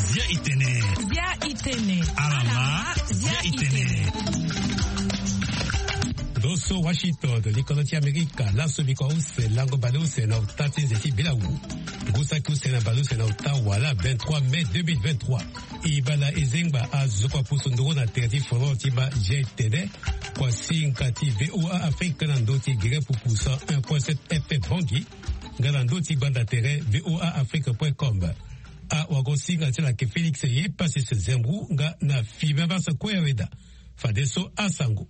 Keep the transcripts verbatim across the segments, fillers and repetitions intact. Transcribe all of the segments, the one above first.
Zia itene. Zia itene. Alama. Zia itene. Ndo so Washington, likolo ti Amerika, laso biko use, lango bale use na ota ti nze ti bilawu. Ngu saki use na bale use na ota wala vingt-trois mai deux mille vingt-trois. E baa na e zengba azo kua pusu nduru na tere ti foro ti baa G T D. Kua singa ti V O A Afrique na ndö ti gere pupu cent un point sept F M Bangui. Nga na ndö ti gbanda tere V O A Afrique point com. Awagosinga ti ala yeke Félix Yepassis Zembou nga na Fibin Basa Kue Aweda. Fadeso asango.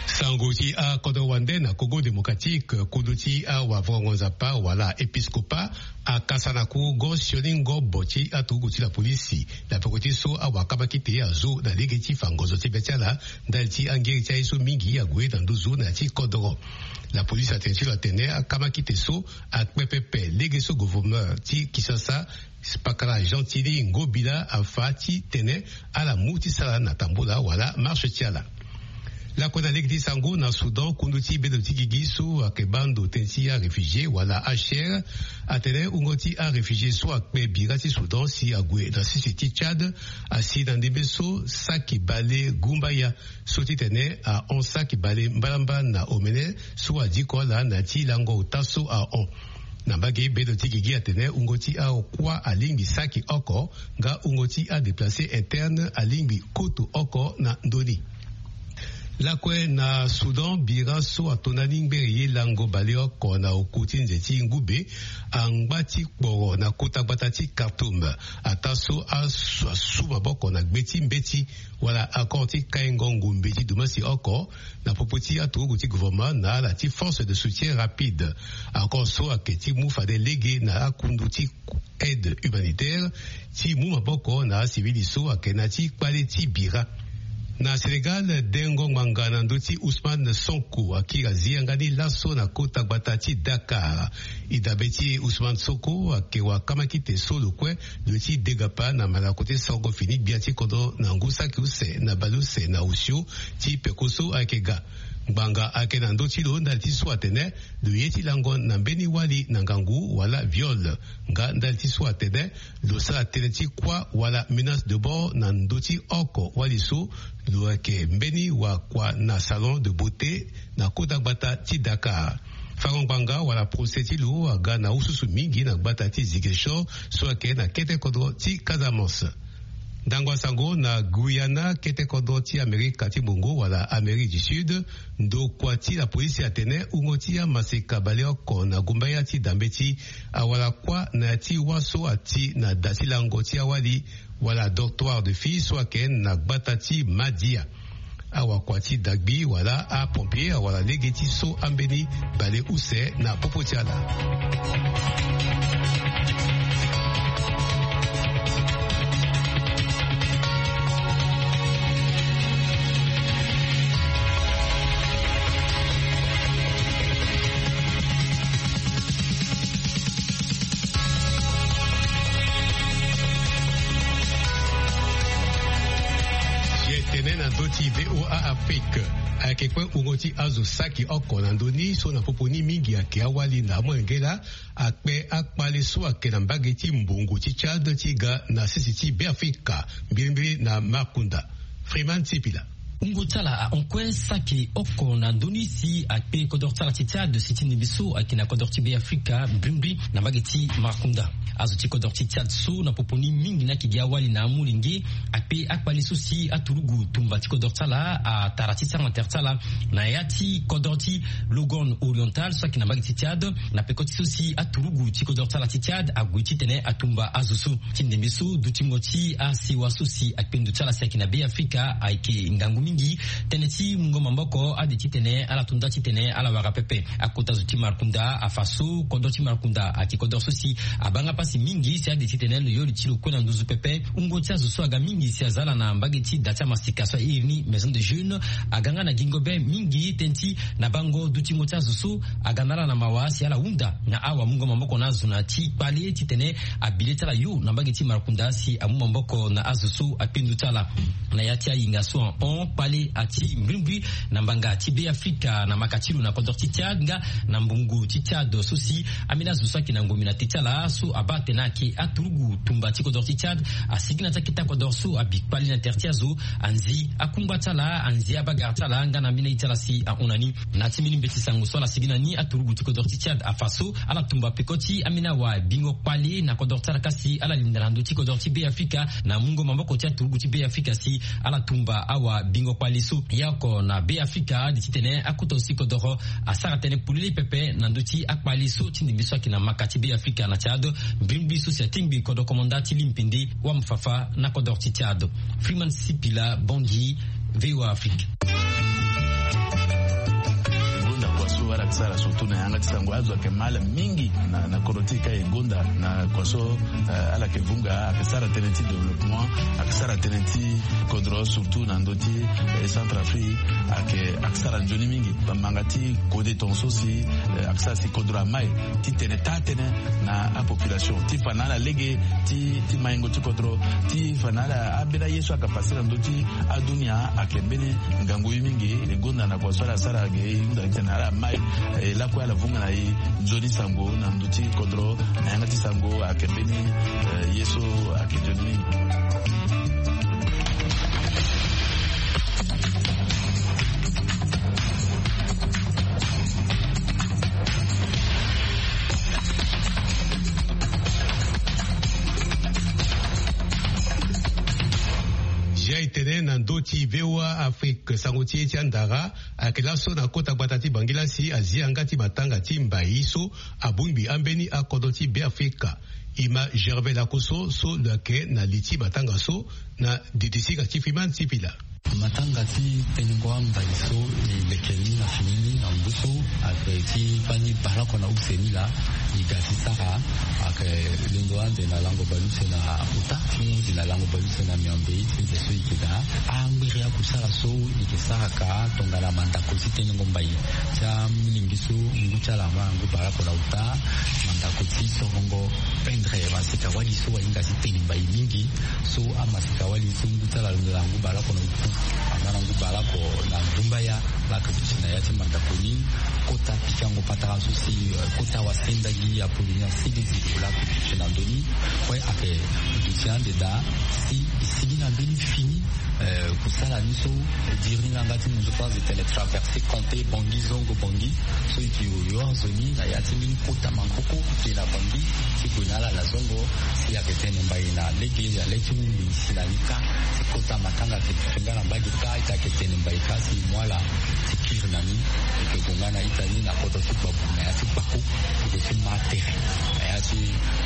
Sango ti akodro wande na Congo Démocratique, kodro ti awavurango nzapa wala épiscopat akasa na ku go sioni ngobo ti aturugu ti la polisi na peko ti so awakamakite azo na lege ti fa ngonzo ti be ti ala ndali ti angeri ti aye so mingi ague na nduzu na ya ti kodro. La polisi atene ti lo atene akamakite so akpe pepe lege so gouverneur ti Kinshasa, pakara Gentiny Ngobila, afa titene ala mu ti sara na tambula wala marche ti ala. Lakue na lege ti sango na Soudan, kundu ti bedo ti gigi so ayeke baa ndo tënë ti aréfugié wala H C R atene wungo ti aréfugié so akpe bira ti Soudan si ague na sese ti Tchad asi na ndembe so saki bale gumbaya so titene ahon saki bale mbalambala na omene so adiko ala na ya ti lango ota so ahon. Na mbage bedo ti gigi atene wungo ti akuâ alingbi saki oko nga wungo ti adéplacé interne alingbi koto oko na ndö ni. Lakue na Soudan, bira so atonda ni ngbere ye lango baleoko na oku ti nze ti ngube angba ti kporo na kota gbata ti Khartoum, ataa so asu asu maboko na gbe ti mbeti wala accord ti kaingo ngombe ti dumasi oko na popo ti aturugu ti gouvernement na ala ti force de soutien rapide. Accord so ayeke ti mu fade lege na akundu ti aide humanitaire ti mu maboko na asivili so ayeke na ya ti kpale ti bira. Na Sénégal, dengo ngbanga na ndö ti Ousmane Sonko akiri azi yanga ni laso na kota gbata ti Dakar. E dabe ti e, Ousmane Sonko ayeke wakamakite so lo kue lo ye ti degapa na malako ti songo fini gbia ti kodro na ngu saki use na bale use na osio ti peko so ayeke ga. Ngbanga ayeke na ndö ti lo ndali ti so atene lo ye ti lango na mbeni wali na ngangu wala viol. Nga ndali ti so atene lo sara tënë ti kuâ wala menace de mort na ndö ti oko wali so lo yeke mbeni wakua na salon de beauté na kota gbata ti Dakar. Fango ngbanga wala procès ti lo aga na ususu mingi na gbata ti Ziguinchor so ayeke na kete kodro ti Casamance. Ndangba sango na Guyana, kete kodro ti Amerika ti Mungo wala Amérique du Sud, ndokua ti la polisi atene wungo ti amaseka baleoko na gumbaya ti dambeti awara kuâ na ya ti wâ so ati na da ti lango ti awali wala dortoir de filles so ayeke na gbata ti Madia. Awakua ti dagbi wala apompier awara lege ti so ambeni baleuse na popo ti ala. Ye tene na ndö ti V O A Afrique. Ayeke kue wungo ti azo saki oko na ndö ni so na popo ni mingi ayeke awali na amolenge laa akpe akpale so ayeke na mbage ti mbongo ti Tchad ti ga na sese ti Beafrika, mbirimbiri na Makunda. Freeman Sipila. Wungo ti ala ahon kue saki oko na ndö ni si akpe kodro ti ala ti Tchad si ti ndembe so ayeke na kodro ti Beafrika mbirimbiri na mbage ti Makunda. Azo ti kodro ti Tchad so na popo ni mingi ni ayeke gi awali na amolenge akpe akpale so si aturugu tumba ti kodro ti ala atara ti sara na tere ti ala na ya ti kodro ti Logon Oriental so ayeke na mbage ti Tchad, na peko ti so si aturugu ti kodro ti ala ti Tchad ague titene atumba azo so. Ti ndembe so dutingo ti asewa so si akpe ndo ti ala si ayeke na Beafrika ayeke ngangu mingi. Tënë ti mungo maboko ade titene ala to nda titene ala wara pepe. Akota zo ti Markunda afa so kodro ti Markunda ayeke kodro so si abaa nga pasi mingi si ade titene lo yo li ti lo kue na nduzu pepe. Wungo ti azo so aga mingi si aza ala na mbage ti da ti amasika so airi ni Maison de Jeunes aga nga na gingo be mingi tënë ti na bango dutingo ti azo so aga na ala na mawa si ala hunda na awamungo maboko na azo na ti kpale titene abi le ti ala yo na mbage ti Markunda si amu maboko na azo so akpe ndo ti ala. Na ya ti ayinga so ahon Kpale ati mbrimbri na mbanga ti Be Afrika na maka ti lo na kodro ti Tchad nga na mbongo ti Tchad so si ambeni azo so ayeke na ngombe na te ti ala so abaa atene ayeke aturugu tumba ti kodro ti Tchad asigi na ti akete akodro so abi kpale na tere ti azo, anzi akungba ti ala, anzi abagara ti ala nga na ambeni aye ti ala si ahon na ni. Na ya ti mbeni mbeti sango so ala sigi na ni, aturugu ti kodro ti Tchad afa so ala tumba peko ti ambeni awa bingo kpale na kodro ti ala ka si ala linda na ndö ti kodro ti Be Afrika na mungo maboko ti aturugu ti Be Afrika si ala tumba awa bingo kpale so. Ya oko na Be Afrika ade titene akota aussi kodoro asara tënë polele pepe na ndö ti akpale so ti ndembe so ayeke na maka ti Be Afrika na Tchad. Mbrimbri so si atingbi kodro komanda ti limpende wamfafa na kodro ti Tchad. Freeman Sipila, Bangui, V O A Afrique. Gonda kua so ala yeke sara surtout na yanga ti sango, azo ayeke mal mingi na, na kodro ti e ka e gonda na kua so, eh, ala yeke vunga, ayeke sara tënë ti développement, ayeke sara tënë ti kodro surtout na ndö ti, eh, Centrafrique, ayeke, ayeke sara nzoni mingi. Bamanga ti kode tongaso si, eh, ayeke sara si kodro amai titene taa tënë na apopulation ti fa na ala lege ti, ti maingo ti kodro, ti fa na ala ambeni aye so ayeke pase na ndö ti adunia ayeke mbeni ngangu ye mingi. E gonda na kua so ala sara ge e hunda titene ala mai, eh, lakue ala vunga na e nzoni sango na ndö ti kodro na yanga ti sango ayeke mbeni, eh, ye so ayeke nzoni mingi. Zia e tene na ndö ti V O A Afrique, sango ti e ti andara ayeke laso na kota gbata ti Bangui la si azia yanga ti matanga ti mbai so abongbi ambeni akodro ti Be Afrika. E ma Gervais Lakoso so lo yeke na li ti matanga so na didi singa ti Freeman Sipila. Matanga ti tenengo ambai so e leke ni na fini ni na ngu so ayeke ti fani bale oko na use ni laa. E ga ti sara ayeke londo ande na lango baleuse na ota ti ngu ti na lango baleuse na miombe ti nze so e yeke daa. Angbiri akusala so e yeke sara ka tongana mandako ti tenengo mbai ti amolenge so ngu ti ala ama ngu bale oko na ota. Mandako ti sorongo pendre maseka wali so ahinga ti tene mbai mingi. So amaseka wali so ngu ti ala alondo na ngu bale oko na oku aza na ngu bale oko na ndumbaya. Laa ayeke duti na ya ti mandako ni. Kota pikango patara so si, eh, kota wasenda gi Apollinaire Sidi Zito laa ayeke duti na ndö ni. Kue ayeke duti ande daa si e sigi na mbeni fini, eh, kusala ni so e diri ni na yanga ti munzu so azo e tene traverse Comté Bangui, zongo Bangui. So e yeke yoyo azo ni na ya ti mbeni kota maboko ti e na Bangui ti gue na ala na zongo. Si ayeke tene mbai na lege ya le ti mu mbi si na ni kâ. Ti kota matanga ayeke duti nga na mbage kâ, ita ayeke tene mbai kâ si e mu ala ti kiri na ni. E yeke gue nga na ita ni na kodro ti gbabu na ya ti gbako. E yeke ti ma tere na ya ti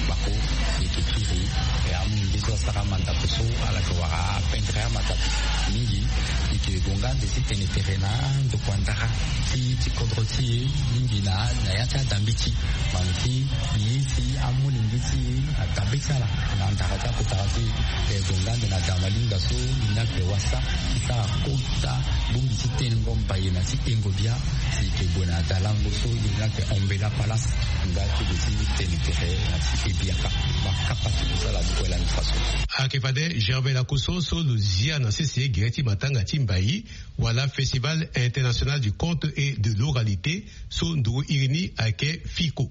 gbako. E yeke kiri. E amolenge so asara mandako so ala yeke wara apendre amandako mingi. E yeke gue nga nde ti tene tere na ndokua ndara ti, ti kodro ti e mingi na, na ya ti adambiti. Bano ti ye ti amolenge ti e adabe ti ala na ndara ti akotara ti e. E gue nga nde na damalinga so ni ni ayeke wasa ti sara kota bongbi ti tenengo mbai na ti engo bia. Si e yeke gue na dalango so ni ni ayeke Ombela Palace nga ti gue ti tene tere na ti e biaka. Makapa ti kusala ti kue lani faso. Ayeke fade Gervais Lakoso so lo zia na sese gere ti matanga ti mbai wala Festival International du Conte et de l'Oralité so nduru iri ni ayeke FICO.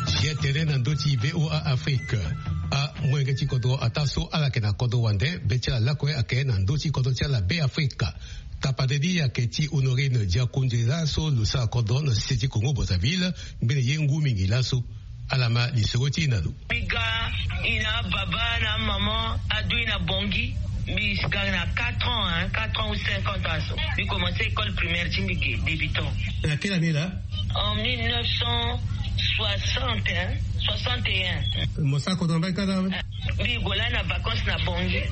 Zia tene na ndö ti V O A Afrique. Amolenge ti kodro ataa so ala yeke na kodro wande be ti ala lakue ayeke na ndö ti kodro ti ala Be Afrika. Tapade ni ayeke ti Honorine Diakonze laso lo sara kodro na sese ti Congo Brazzaville. Ngbene ye ngu mingi laso. Ala ma lisoro ti e na lo. Mbi ga, e na ababa na amama adu e na Bangui. Mbi si ga na quatre ans, hein, quatre ans ou cinq ans aso. Mbi commencé école primaire ti mbi ge débutant. Na quelle année là? En mille neuf cent soixante, hein, soixante et un. Mo sara kodro na mbage kâ na? Mbi gue laa na vacances na Bangui.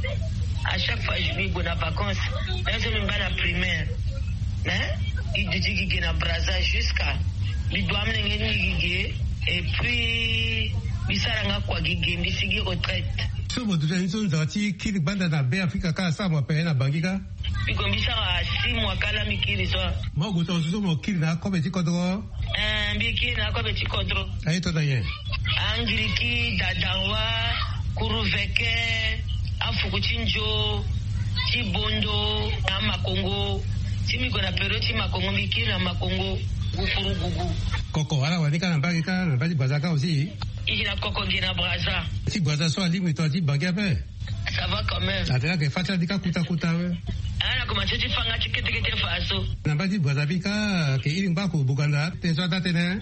À chaque fois mbi gue na vacances, même so mbi baa na primaire, hein, mbi duti gi ge na Brazza jusqu'à mbi du amolenge ni gi ge. Et puis mbi sara nga kua gi ge, mbi sigi retraite. So mo duti na ni so nzara ti kiri gbanda na Be Afrika kâ asara mo ape na Bangui kâ? Mbi gue mbi sara six mois kala mbi kiri so. Mo gue tongaso so mo kiri na akobe ti kodro? Eh, mbi kiri na akobe ti kodro. Aye to na nyen? Angiriki, dadanwa, kuruveke, afuku ti nzo, ti bondo, na makongo. Ti mbi gue na période ti makongo, mbi kiri na makongo gukurugugu. Koko ala wani kâ na mbage kâ na mbage ti Brazza kâ aussi? I gi na koko gi na Brazza. Ti Brazza so alingbi tongana ti Bangui ape? Ça va quand même. Atene ayeke fâ ti ala ni kâ kuta kuta awe. Ala na komanse ti fâ nga ti kete kete fa so. Na mbage ti Brazza bi kâ ayeke iri ngbako Boganda tënë so ada tënë.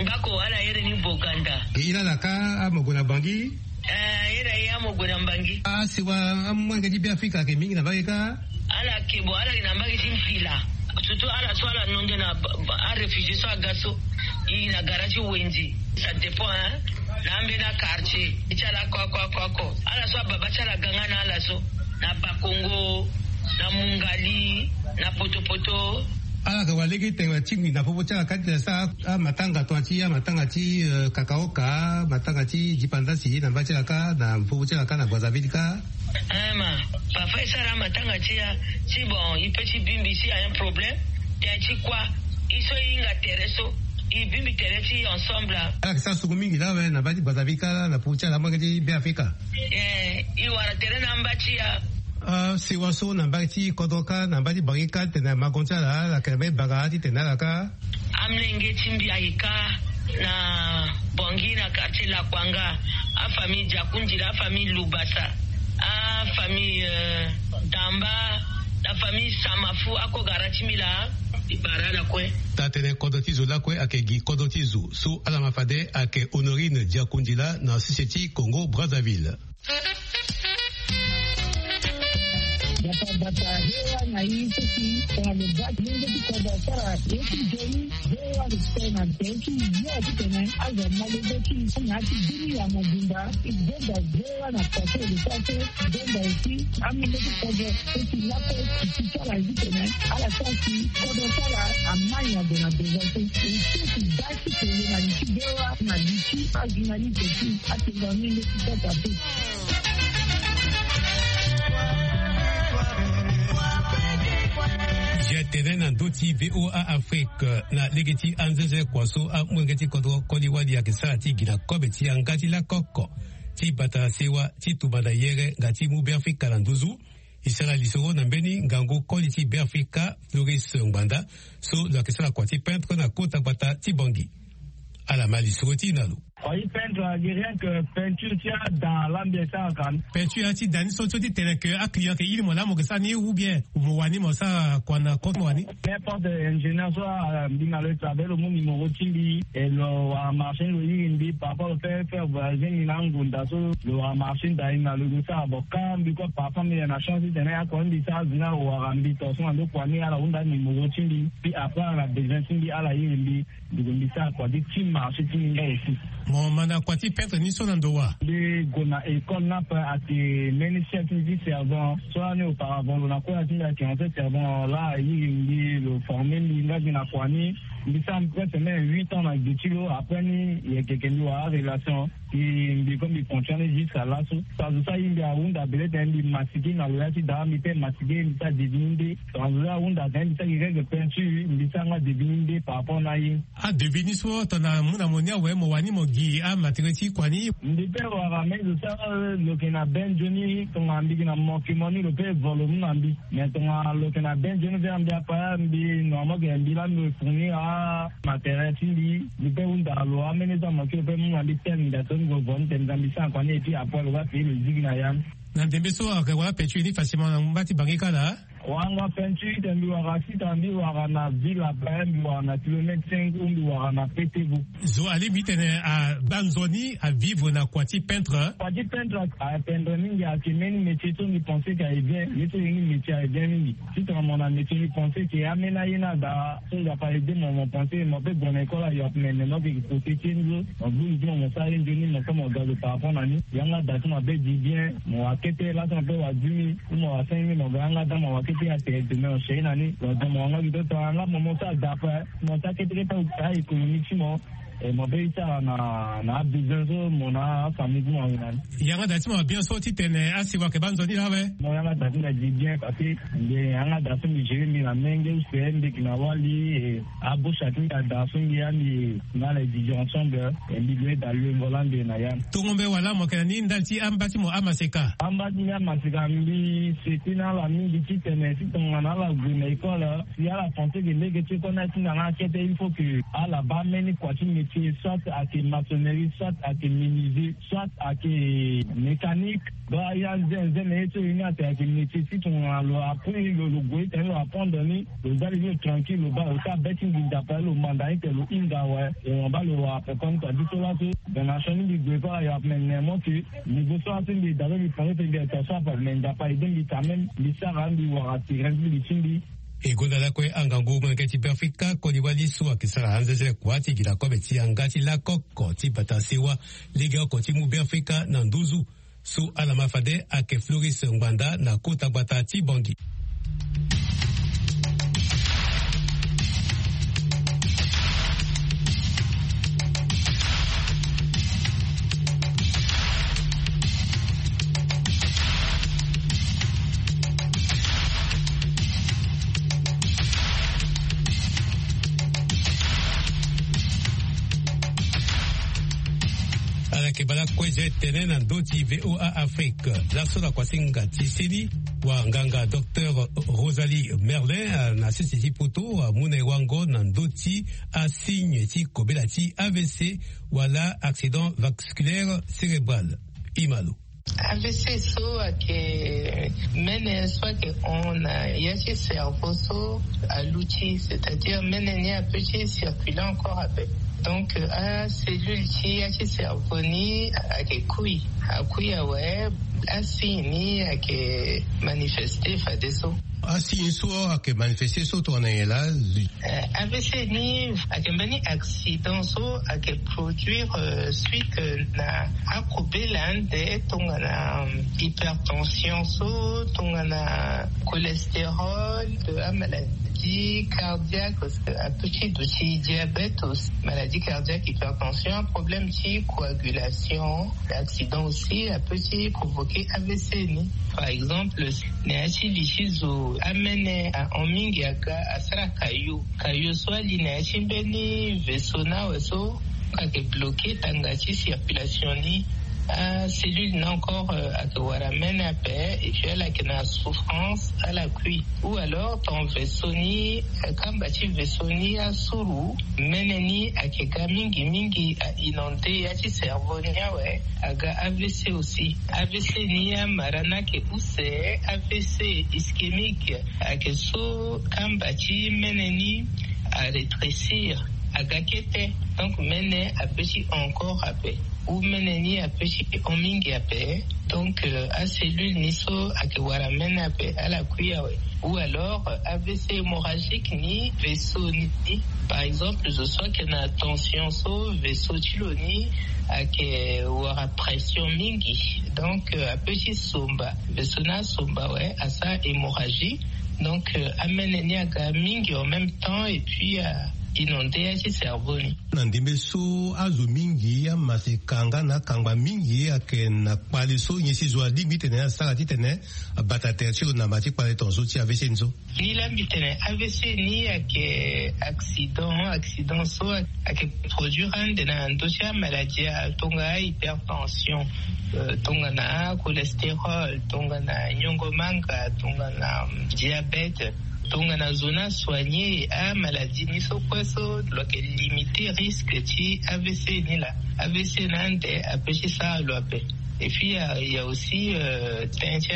Ngbako ala iri ni Boganda. Ayeke iri ala kâ amo gue na Bangui. Eh, iri aye amo gue na Bangui. Asiwa amolenge ti Beafrika ayeke mingi na mbage kâ? Ala yeke, bon, ala yeke na mbage ti mpila. Surtout ala so ala nondo na ba- ba- aréfugié so aga so. I na gara ti wenze. Ça dépend, hein. Na ambeni quartier ti ala ko ako ako ako. Ala so ababa ti ala ga nga na ala so, na Bakongo, na Mungali, na Potopoto. Ala yeke wara lege ti tene tingbi na popo ti ala kâ ti tene asara amatanga tongana ti amatanga ti, eh, kakaoka, matanga ti dipandasi na mbage ti ala kâ, na popo ti ala kâ na Brazzaville kâ. Eh ma, parfois e sara amatanga ti ya, ti bon, e peut ti bingbi si a un problème. Tene ti kua, e so e hinga tere so, e bingbi tere ti e ensemble. Ala yeke sara sungu mingi laa awe na mbage ti Brazzaville kâ laa na popo ti ala amolenge ti Beafrika. Eh, e wara tere na amba ti ya. Ah, sewa so na mbage ti kodro kâ, na mbage ti Bangui kâ, titene makongo ti ala, ala yeke na mbeni bara titene ala kâ. Amolenge ti mbi ayeke kâ na Bangui na quartier Lakwanga, afamille Diakundila, afamille Lubasa, afamille, euh, Damba, na famille Samafu, ako gara ti mbi laa, e bara ala kue. Taa-tënë kodro ti zo lakue ayeke gi kodro ti zo so ala ma fade ayeke Honorine Diakundila na sese ti Congo Brazzaville. Bata bata, hewa na i seki tongana lo baa ti lenge ti kodro asara ye ti nzoni. Hewa lo sara na tene ti yo titene azo ma lenge ti na ya ti bini ya mobimba. I gbenda hewa na pase lo sara so. Gbenda aussi amolenge ti kodro seki lakue ti ti sara ye titene ala sara si kodro sara amai ague na devant so. E seki baa ti tene na li ti hewa na li ti ajournaliste ti atenda mingi ti kota pe. Ye tene na ndö ti V O A Afrique, na lege ti anzenze kua so amolenge ti kodro koli wali ayeke sara ti gi na kobe ti yanga ti lakoko ti bata sewa ti tumba na yere nga ti mu Beafrika na nduzu. E sara lisoro na mbeni ngangu koli ti Beafrika, Floris Ngbanda, so lo yeke sara kua ti peintre na kota gbata ti Bangui. Ala ma lisoro ti e na lo. Kua ti peintre ayeke rien que peinture ti ada la mbi e sara ka. Peinture ti da ni so ti tene que aclient ayeke iri mo laa mo yeke sara ni ou bien mo wani mo sara kua na compte mo wani? N'importe ingénieur so, ah, mbi na lo e travail, lo mu numéro ti mbi, e lo wara marché ni lo iri mbi, parfois lo fait faire voyager mbi na angunda so lo wara marché ni da ni na lo e sara. Bon, quand mbi kue parfois mbi na chance ti tene akua ni mbi sara azo ni awara mbi tongaso na ndo kua ni, ala hunda numéro ti mbi, puis après ala na besoin ti mbi ala iri mbi. Mbi gue mbi sara kua ti ti marché ti mbi nga aussi. Mo ma na kua ti peintre ni so na ndo wa? Mbi gue na école ni ape, ayeke mbeni chef ti mbi ti servant so lani auparavant lo na kue na ti mbi ayeke ancien servant laa airi mbi lo forme mbi nga mbi na kua ni. Mbi sara presque même huit ans na gbe ti lo, après ni e yeke yeke mbi wara arelation. Mbi mbi comme mbi continue jusqu'à laso. Azo so aye mbi ahunda bele tene mbi masiki na lo ya ti daa, mbi pe masiki mbi sara devis ni nde. Azo so ahunda tene mbi sara gi règle peinture, mbi sara nga devis ni nde par rapport na ye. Adevis ni so tongana amu na mo ni awe, mo wani mo gi amatériel ti kua ni? Mbi pe wara me zo so lo yeke na be nzoni, tongana mbi gi na mo yeke mo ni lo pe vo lo mu na mbi. Mais tongana lo yeke na be nzoni ve na mbi apa, mbi normalement yeke mbi laa mbi fournir amatériel ti mbi. Mbi pe hunda lo amene so na mo ti lo pe mu na mbi tel mbi da so mbi gue vo ni tene mbi sara kua ni et puis après lo ga payer lo zigi na ya. Na ndembe so ayeke wara peinture ni facilement na ngba ti Bangui kâ laa? Wanga peinture tene mbi wara site, mbi wara na ville ape, mbi wara na kilomètre cinq ou mbi wara na P T V. Zo alingbi titene abaa nzoni avivre na kua ti peintre. Kua ti peintre apeindre mingi, ayeke mbeni métier so mbi pense que aye bien. Ye so ye ni métier aye bien mingi. Titene mo na métier mbi pense que ameni aye ni ada so Nzapa aide mo, mo pense mo pe gue na école ayo ape, mais mo yeke kote ti ye ni so. Mo gbu li ti mo, mo sara ye nzoni, mo so mo ga zo par rapport na ni. Yanga da so mo be di bien, mo wara kete laso mo pe wara dix mille. Mo wara cinq mille, mo ga yanga da mo wara kete atere demain mo sere na ni. Mo da mo wara nga gi to tongana nga mo mo sara da ape, mo sara kete kete a économie ti mo. E mo be e sara na na abesoin so mo na afamille ti mo awe na ni. Yanga da ti mo abien so titene asiwa ayeke baa nzoni laa awe. Mo yanga da ti mo adi bien parce que mbi yanga da so mbi gere mbi na menge use mbi yeke na wali. E abosha ti mbi ada so mbi ya mbi na le didi ensemble. E mbi loue da loue ngo laa mbi yeke na ya. Tongo mbe wala mo yeke na ni ndali ti amba ti mo amaseka? Amba ti mbi amaseka mbi seti na ala mingi titene si tongana ala gue na école si ala pensé ke lege ti école ni atinda na akete il faut que ala baa mbeni kua ti métier soit ayeke maçonnerie soit ayeke menuisier soit ayeke mécanique. Donc aya nze nze na ye so ye ni atene ayeke métier si tongana lo apprendre lo lo gue tene lo apprendre ni lo za li ni lo tranquille lo baa lo ti abe ti nginza ape lo manda ni tene lo hinga awe. E mo baa lo wara pekoni kua ti so laso. Donc na sioni mbi gue so ala yap me ne mo ke niveau so laso mbi daa so mbi pare tene mbi aita so ape me nzapa aide mbi quand même mbi sara mbi wara terrain ti mbi ti mbi. E gonda lakue angangu molenge ti Beafrika koli wali so ayeke sara anzezele kua ti gi na kobe ti yanga ti lakoko ti bata sewa lege oko ti mu Beafrika na nduzu. So ala ma fade ayeke Floris Ngbanda na kota gbata ti Bangui. Ala yeke bala kue ze tene na ndö ti VOA Afrique. Laso na kuasinga ti seni, wanganga docteur Rosalie Merlin, ah, na sese ti poto, ah, amu na e wango na ndö ti asigne ti kobela ti A V C wala accident vasculaire cérébral. Imalo. A V C so ayeke mene so ayeke hon na ya ti cerveau so aluti, c'est-à-dire mene ni apeut ti circuler encore ape. Donc acellule ti ya ti cerveau ni ayeke kui, akui awe. Asigne ni ayeke manifeste fadeso. Asigne so ayeke manifeste so tongana nyen laa? Eh, A V C ni ayeke mbeni accident so ayeke produire, euh, suite, euh, na akobela ande tongana, euh, hypertension so, tongana cholestérol, euh, amaladie cardiaque, euh, apeut ti duti diabète aussi, maladie cardiaque, hypertension, problème ti coagulation. Accident aussi apeut ti provoquer A V C ni. Par exemple, na ya ti li ti zo amene ahon mingi aga asara kayo. Kayo so ali na ya ti mbeni vaisseau ni awe so ayeke bloquer tanga ti circulation ni. Acellule ni encore, euh, ayeke wara mene ape et puis ala yeke na souffrance, ala kui. Ou alors ton vaisseau ni, euh, kamba ti vaisseau ni asuru, mene ni ayeke ga mingi mingi, a inondé ya ti cerveau ni awe. Aga A V C aussi. A V C ni amara ni ayeke use, A V C ischémique, ayeke so kamba ti mene ni arétrécir, aga kete. Donc mene apeut ti hon encore ape, ou mene ni apeut ti hon mingi ape. Donc, euh, acellule ni so ayeke wara mene ape ala kui awe. Ou alors, euh, A V C hémorragique ni vaisseau ni. Par exemple zo so ayeke na tension so vaisseau ti lo ni ayeke wara pression mingi. Donc, euh, apeut ti somba, vaisseau ni asomba awe, asara hémorragie. Donc, euh, amene ni aga mingi en même temps et puis, euh, inondé ya ti cerveau ni. Na ndembe so azo mingi amaseka nga na akangba mingi ayeke na kpale so nyen si zo alingbi titene asara titene abata tere ti lo na mba ti kpale tongaso ti A V C ni so? Ni laa mbi tene A V C ni ayeke accident, accident so ayeke produire ande na ndö ti amaladie, tonga hypertension, euh, tongana cholestérol, tongana nyongo manga, tongana, mm, diabète. Tongana zo ni asoigner amaladie ni so kue so lo yeke limiter risque ti A V C ni laa. A V C na ande apeut ti sara lo ape. Et puis il y a, il y a aussi, euh, tënë ti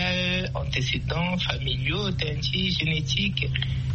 antécédents familiaux, tënë ti génétique,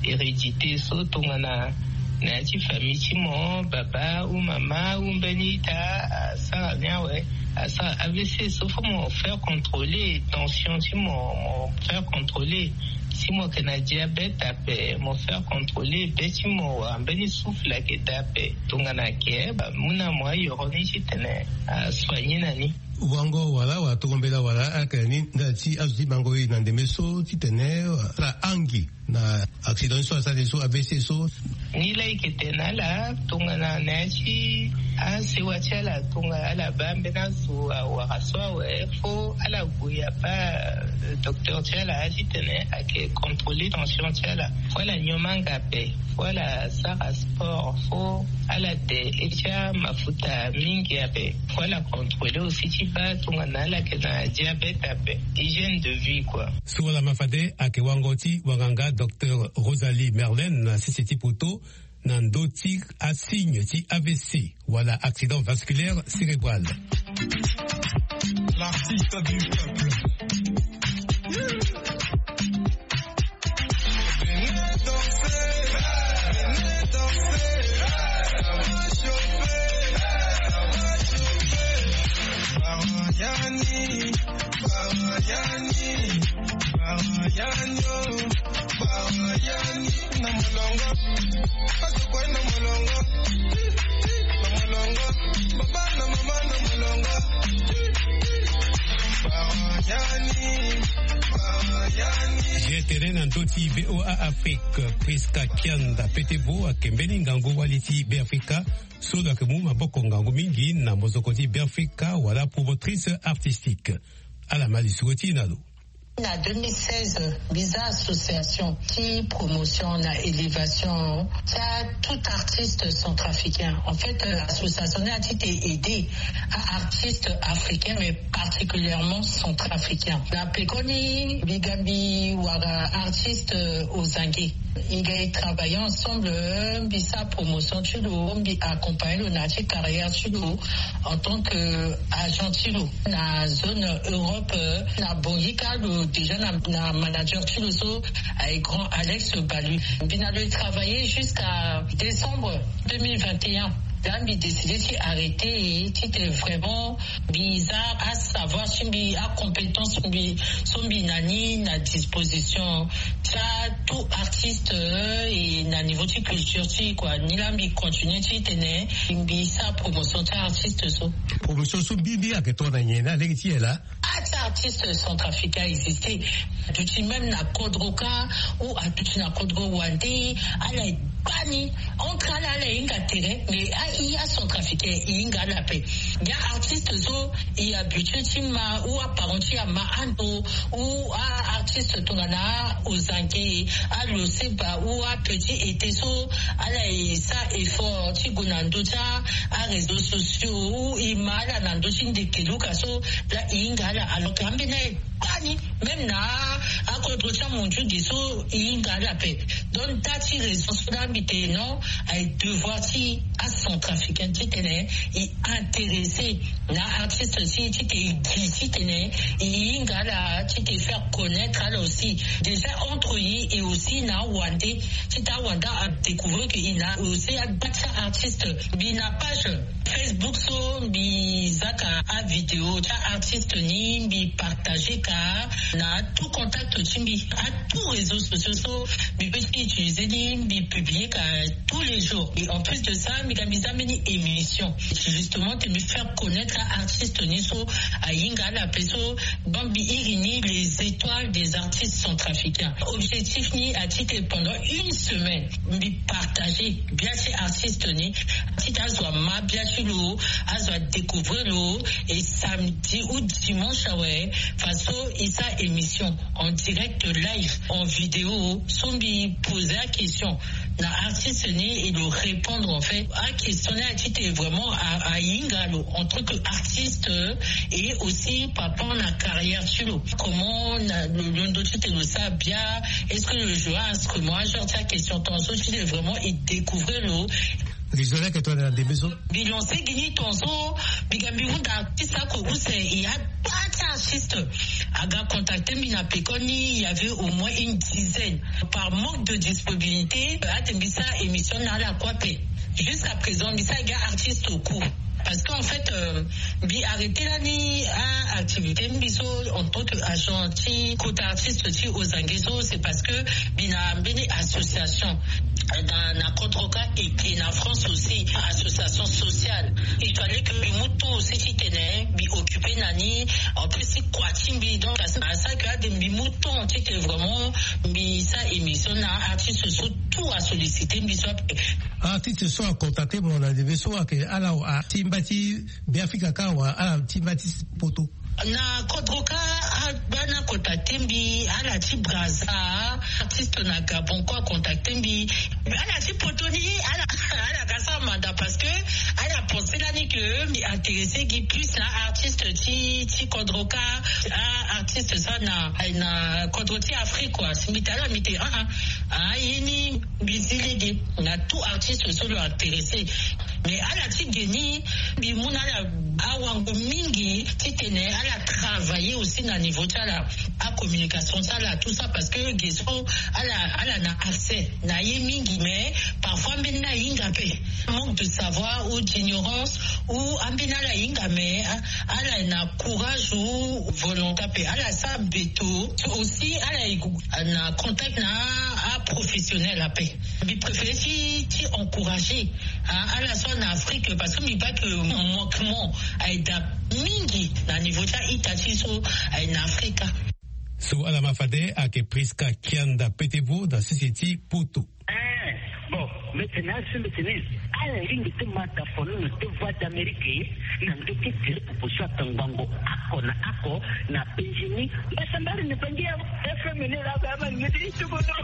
hérédité so tongana na ya ti famille ti mo, baba ou mama ou mbeni ita asara ni awe, asara A V C so, faut mo faire contrôler tension ti mo, mo faire contrôler. Si mo yeke na diabète ape, mo faire contrôler be ti mo wala mbeni souffle ayeke daa ape. Tongana ayeke, ba mu na mo ayoro ni titene asoigner na ni. Wango wala wala tongo mbela wala ala yeke na ni ndali ti azo ti bango e na ndembe so titene ala angi na accident so asara so avc so. Ni la eke tene ala tongana na ya ti asewa ti ala tongana ala baa mbeni azo awara so awe fo ala gue abaa docteur ti ala titene ayeke contrôler tension ti ala. Fo ala nyon manga ape, fo ala sara sport, fo ala de e ti amafuta mingi ape, fo ala contrôler aussi ti baa tongana ala yeke na diabète ape. Hygiène de vie quoi. So wala ma fade ayeke wango ti wanganga docteur Rosalie Merlin na sese ti poto na ndö ti asigne ti avc wala accident vasculaire cérébral. L'artiste du peuple. Gtene na ndö ti VOA Afrique, Prisca Kianda Petebo ayeke mbeni ngangu wali ti Beafrika so lo yeke mu maboko ngangu mingi na mozoko ti Beafrika wala promotrice artistique. Ala ma lisoro ti e na lo. Na deux mille seize mbi za association ti promotion na élévation ti atout artiste centrafricain. En fait, association ni ati te aider aartiste africain mais particulièrement centrafricain. Na pekoni mbi ga mbi wara artiste ozange. I ga e travailler ensemble, mbi sa promotion ti lo, mbi accompagner lo na ti carrière ti lo en tant que agent ti lo na zone Europe. Na bongi ka lo déjà na manager ti lo so aye grand Alex Balu. Mbi na lo e travailler jusqu'à décembre deux mille vingt et un. Là mbi décider ti arrêter ti te vraiment mbi za asavoir ti mbi, acompétence mbi so mbi na ni na disposition ti atout artiste. Et na niveau ti culture ti quoi ni la mbi continue ti tene mbi sa promotion ti artiste so. Promotion so mbi mbi ayeke tongana nyen na lege ti e la? Ah, ti artiste centrafricain existe. Aduti même na kodro ka ou aduti na kodro wande, ala e baa ni entre ala ala e hinga tere mais ahi acentrafricain e hinga ala ape. Ndia artiste so e habitué ti ma ou aparent ti ama ando ou aartiste tongana ozange, aloseba ou apetit été so ala e sa effort ti gue na ndö ti aréseau sociaux ou e ma ala na ndö ti ndeke luka so la e hinga ala alors que ambeni aye baa ni même na akodro ti amondiu ge so e hinga ala ape. Donc nda ti raison so la mbi te non aye devoir ti acentrafricain ti tene e intéressé na artiste si ti te e gi ti tene e hinga ala ti te faire connaître ala aussi. Déjà entre e et aussi na awande ti ta awande adécouvrir que e na aussi agba ti artiste. Mbi na page Facebook so mbi zaka avidéo ti aartiste ni mbi partager ka na tout contact ti mbi atout réseau sociaux so mbi peut ti utiliser ni mbi publier ka tous les jours. Et en plus de ça mbi ga mbi za mbeni émission justement te mbi faire connaître aartiste ni so ahinga ala ape so. Donc mbi iri ni les étoiles des artistes centrafricains. Objectif ni ati te pendant une semaine mbi partager bia ti artiste ni ti te azo ama bia ti lo, azo adécouvrir lo. Et samedi ou dimanche awe faso e sa émission en direct live en vidéo so mbi poser aquestion na artiste ni e lo répondre en fait aquestion ni ati te vraiment ahinga lo en tant que artiste et aussi par rapport na carrière ti lo comment na lo londo ti te lo sa bia, est-ce que lo joue instrument, genre ti aquestion tongaso ti te vraiment e découvrir lo. Mbi zo leke tongana ndembe so mbi lancer gi ni tongaso. Mbi ga mbi hunda ti sako use e agba ti artiste aga contacter mbi na pekoni il y avait au moins une dizaine. Par manque de disponibilité ate mbi sa émission na ala kue ape. Jusqu'à présent mbi sa ga artiste au cours parce que en fait mbi arrêter lani aactivité mbi so en tant que agent ti kota artiste ti ozange so c'est parce que mbi na mbeni association na na contre ka. Et na France aussi, association sociale. Il fallait que mbi mu temps aussi ti tene mbi occuper na ni. En plus ti kua ti mbi, donc à ça que ade mbi mu temps ti tene vraiment mbi sa émission na artiste so tout a solliciter mbi so. Artiste so a contacter mo na ndembe so ake ala atimba ti Beafrika ka wa ala timba ti poto. Na kodro ka, abana contacter mbi, ala ti Brazza, artiste na Gabon ko a contacter mbi. Ala ti poto ni, ala ala ka sa manda parce que ala pense lani que mbi intéressé gi plus na artiste ti ti kodro ka. Ah, artiste sa na na kodro ti Afrique quoi. Si mbi tala mbi te ah ah ah ye ni mbi zi lege. Na tout artiste so lo intéressé. Mais ala ti ge ni mbi mu na ala awango mingi ti tene ala travailler aussi na niveau ti ala, acommunication ti ala tout ça parce que ge so ala ala na accès na ye mingi mais parfois mbeni ala hinga pe, manque de savoir ou d'ignorance ou ambeni ala hinga mais ala na courage ou volonté pe ala sa beto. Aussi ala na contact na aprofessionnel ape. Mbi préféré ti ti encourager ala so na Afrique parce que mbi baa que manquement aye da mingi na niveau ti a-ita ti so aye na Afrika. So ala ma fade ayeke Prisca Kianda Petevo na sese ti Poto. Bon, mbi tene asi mbi tene ala lingbi ti ma tafono na deux voix d'Amérique na ndö ti tere popo so atangbango ako na ako na penzi ni. Mbasambari ni bangi ya F M ni la ba man ni ti tuko no.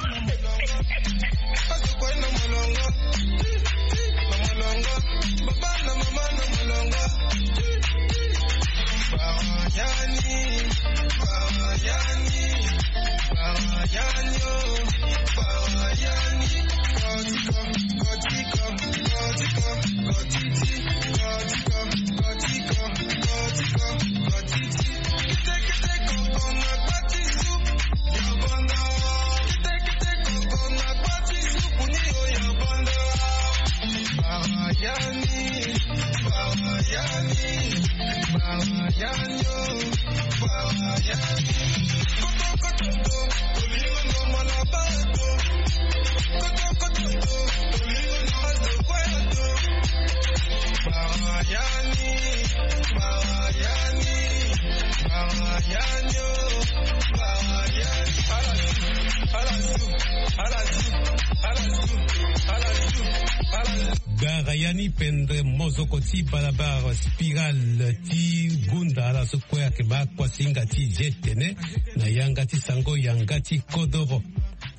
Gbara yani pendre mozoko ti balabala spirale ti gunda ala so kue ayeke ma kuasinga ti zi tene na yanga ti sango yanga ti kodoro.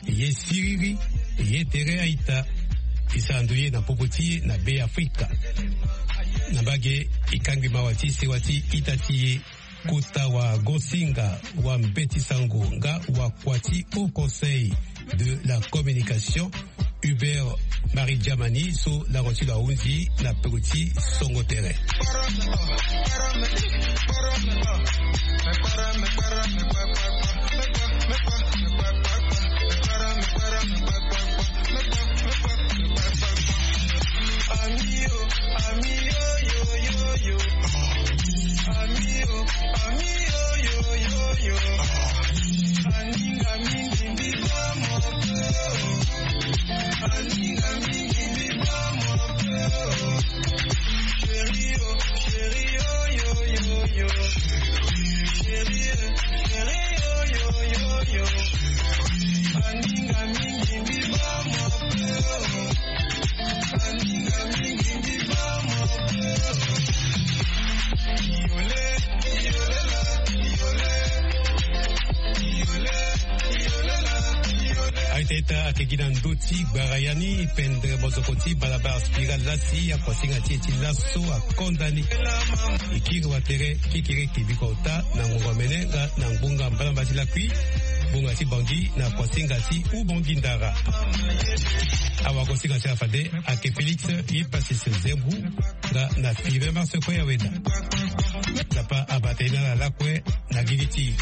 Ye siriri ye tere a-ita. E sara ndo ye na popo ti e na Be Afrika. Na mbage e kangbi mawa ti sewa ti ita ti e. Kota wagosinga, wambeti sango nga wakua ti Haut Conseil de la Communication, Hubert Marie Diamani, so lango ti lo ahunzi na peko ti songo tere. Aita ita ayeke gi na ndö ti gbara yani pendre mozoko ti balabala spirale lasi akuasinga ti e ti laso akonda ni. E kiri watere kekere kebiko ota na ngonga mene nga na ngbonga mbalamba ti lakui. Ngbonga ti Bangui na kuasinga ti Ubangui Ndara. Awagosinga ti ala fade ayeke Félix Hyppasis Zembrou nga na Fibin Marseille kue ya weda. Nzapa abata ye na ala lakue na gigi ti e.